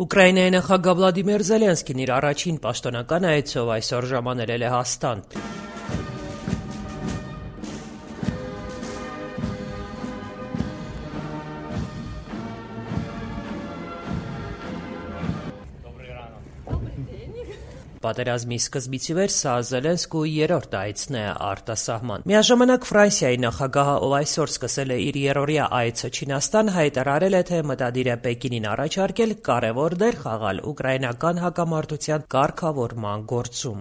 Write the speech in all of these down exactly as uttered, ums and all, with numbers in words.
Ուկրաինայի նախագահ Վլադիմիր Զելենսկին իր առաջին պաշտոնական այցով այսօր ժամանել է Լեհաստան։ Պատերազմի սկզբից ի վեր սա Զելենսկուի երրորդ այցն է արտասահման։ Միաժամանակ Ֆրանսիայի նախագահը, ով այսօր սկսել է իր երրորդյա այցը Չինաստան, հայտարարել է, թե մտադիր է Պեկինին առաջարկել կարևոր դեր խաղալ ուկրաինական հակամարտության կարգավորման գործում։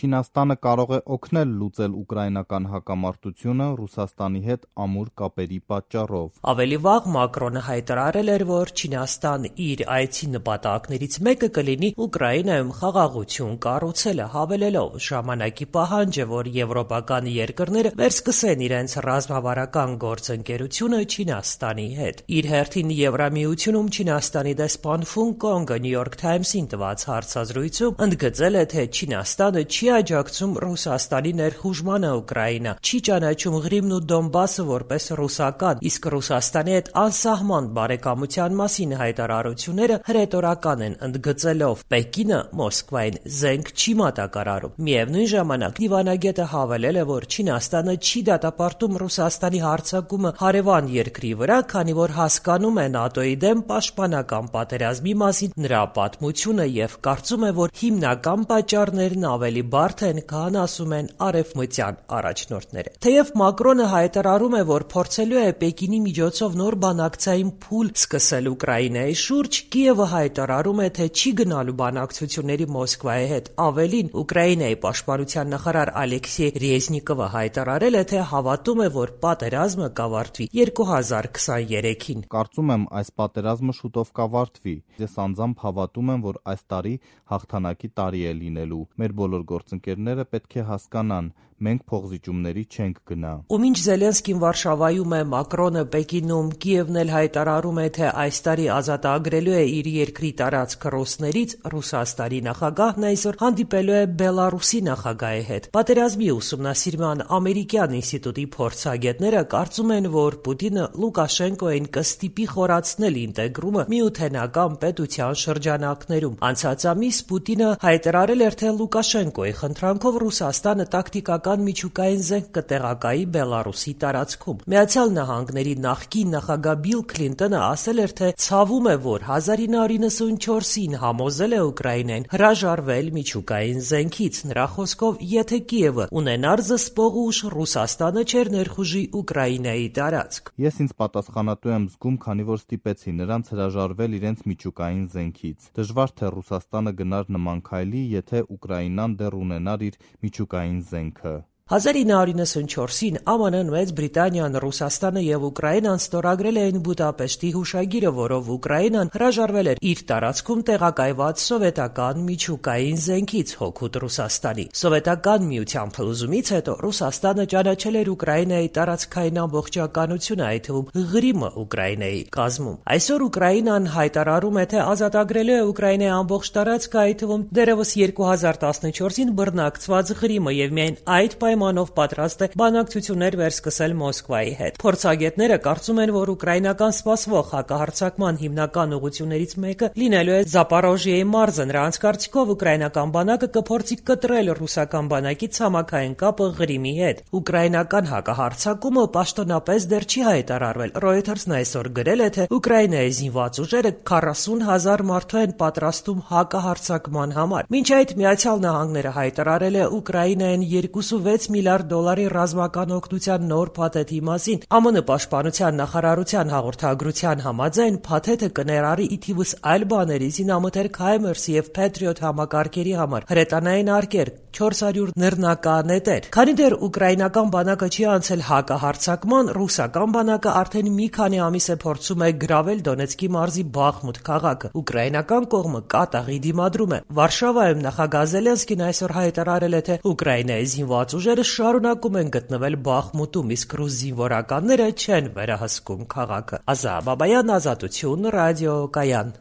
Չինաստանը կարող է օգնել լուծել ուկրաինական հակամարտությունը Ռուսաստանի հետ ամուր կապերի պատճառով։ Ավելի վաղ Մակրոնը հայտարարել էր, որ Չինաստան իր այցի նպատակներից մեկը կլինի Ուկրաինայում խաղաղություն կառուցելը, հավելելով ժամանակի պահանջը, որ եվրոպական երկրները վերսկսեն իրենց ռազմավարական գործընկերությունը Չինաստանի հետ։ Իր հերթին Եվրամիությունում Չինաստանի դեսպան Ֆուն Կոնգը Նյու Յորք Թայմսին տված հարցազրույցում ընդգծել է, թե Չինաստանը չի աջակցում Ռուսաստանի ներխուժմանը Ուկրաինա, չի ճանաչում Ղրիմն ու Դոնբասը որպես ռուսական, իսկ Ռուսաստանի հետ անսահման բարեկամության մասին հայտարարությունները հրետորական են, ընդգծելով Պեկինը Մոսկվային զենք չի մատակարարում։ Միևնույն ժամանակ դիվանագետը հավելել է, որ Չինաստանը չի դատապարտում Ռուսաստանի հարձակումը հարևան երկրի վրա, քանի որ հասկանում է ՆԱՏՕ-ի դեմ պաշտպանական պատերազմի մասին նրա պատմությունը եւ կարծում է, որ հիմնական պատճառներն ավելի բարդ են, քան ասում են արևմտյան առաջնորդները։ Թեև Մակրոնը հայտարարում է, որ փորձելու է Պեկինի միջոցով նոր բանակցային փուլ սկսել Ուկրաինայի շուրջ, Կիևը հայտարարում է, թե չի գնալու բանակցությունների Մոսկվայի հետ։ Ավելին, Ուկրաինայի պաշտպանության նախարար Ալեքսեյ Ռեզնիկովը հայտարարել է, թե հավատում է, որ պատերազմը կավարտվի երկու հազար քսաներեքին։ Կարծում եմ, այս պատերազմը շուտով կավարտվի։ Ես անձամբ հավատում եմ, որ այս տարի հաղթանակի տարի է լինելու։ Մեր բոլոր գործընկերները պետք է հասկանան, մենք փոխզիջումների չենք գնա։ Ու մինչ Զելենսկին Վարշավայում է, Մակրոնը Պեկինում, Կիևն էլ հայտարարում է, թե այս տարի ազատագրելու է իր երկրի տարածքը ռուսներից, Ռուսաստանի նախագահն այսօր հանդիպելու է Բելարուսի նախագահի հետ։ Պատերազմի ուսումնասիրման ամերիկյան ինստիտուտի փորձագետները կարծում են, որ Պուտինը Լուկաշենկոին կստիպի խորացնել ինտեգրումը միութենական պետության շրջանակներում։ Անցած ամիս Պուտինը հայտարարել էր, թե Լուկաշենկոյի խնդրանքով Ռուսաստանը տակտիկական միջուկային զենք կտեղակայի Բելարուսի տարածքում։ Միացյալ Նահանգների նախկին նախագահ Բիլ Քլինտոնը ասել էր, թե ցավում է, որ հազար ինը հարյուր իննսունչորսին համոզել է Ուկրաինային հրաժարվել միջուկային զենքից։ Նրա խոսքով, եթե Կիևը ունենար զսպող ուժ, Ռուսաստանը չէր ներխուժի Ուկրաինայի տարածք։ Ես ինձ պատասխանատու եմ զգում, քանի որ ստիպեցի նրանց հրաժարվել իրենց միջուկային զենքից։ Դժվար թե Ռուսաստանը գնար նման քայլի, եթե Ուկրաինան դեռ ունենար իր միջուկային զենքը։ հազար ինը հարյուր իննսունչորսին ԱՄՆ-ն, Մեծ Բրիտանիան, Ռուսաստանը եւ Ուկրաինան ստորագրել էին Բուդապեշտի հուշագիրը, որով Ուկրաինան հրաժարվել էր իր տարածքում տեղակայված սովետական միջուկային զենքից հօգուտ Ռուսաստանի։ Սովետական միության փլուզումից հետո Ռուսաստանը ճանաչել էր Ուկրաինայի տարածքային ամբողջականությունը, այդ թվում Ղրիմը Ուկրաինայի կազմում։ Այսօր Ուկրաինան հայտարարում է, թե ազատագրելու է Ուկրաինայի ամբողջ տարածքը, այդ թվում դեռևս երկու հազար տասնչորսին բռնակցված Ղրիմը եւ միայն այդ պայմանով պատրաստ է բանակցություններ վերսկսել Մոսկվայի հետ։ Փորձագետները կարծում են, որ ուկրաինական սպասվող հակահարձակման հիմնական ուղղություններից մեկը լինելու է Զապորոժիեի մարզը։ Նրանց կարծիքով ուկրաինական բանակը կփորձի կտրել ռուսական բանակի ցամաքային կապը Ղրիմի հետ։ Ուկրաինական հակահարձակումը պաշտոնապես դեռ չի հայտարարվել։ Reuters-ն այսօր գրել է, թե Ուկրաինայի զինված ուժերը քառասուն հազար մարդու են պատրաստում հակահարձակման համար։ Մինչ այդ Միացյալ Նահանգները հայտարարել է Ուկրաինային երկուսունվեց միլիարդ դոլարի ռազմական օգնության նոր փաթեթի մասին։ ԱՄՆ պաշտպանության նախարարության հաղորդագրության համաձայն փաթեթը կներառի ի թիվս այլ բաների զինամթերք Հայմերս եւ Patriot համակարգերի համար հրետանային արկեր, չորս հարյուր նռնականետեր։ Քանի դեռ ուկրաինական բանակը չի անցել հակահարձակման, ռուսական բանակը արդեն մի քանի ամիս է փորձում է գրավել Դոնեցկի մարզի Բախմուտ քաղաքը։ Ուկրաինական կողմը կատաղի դիմադրում է։ Վարշավայում նախագահ Զելենսկին այսօր հայտարարել է, թե Ուկրաինայի զինված ուժերը շարունակում են գտնվել Բախմուտում, իսկ ռուս զինվորականները չեն վերահսկում քաղաքը։ Ազա Բաբայան, Ազատություն, ռադիո Կայան։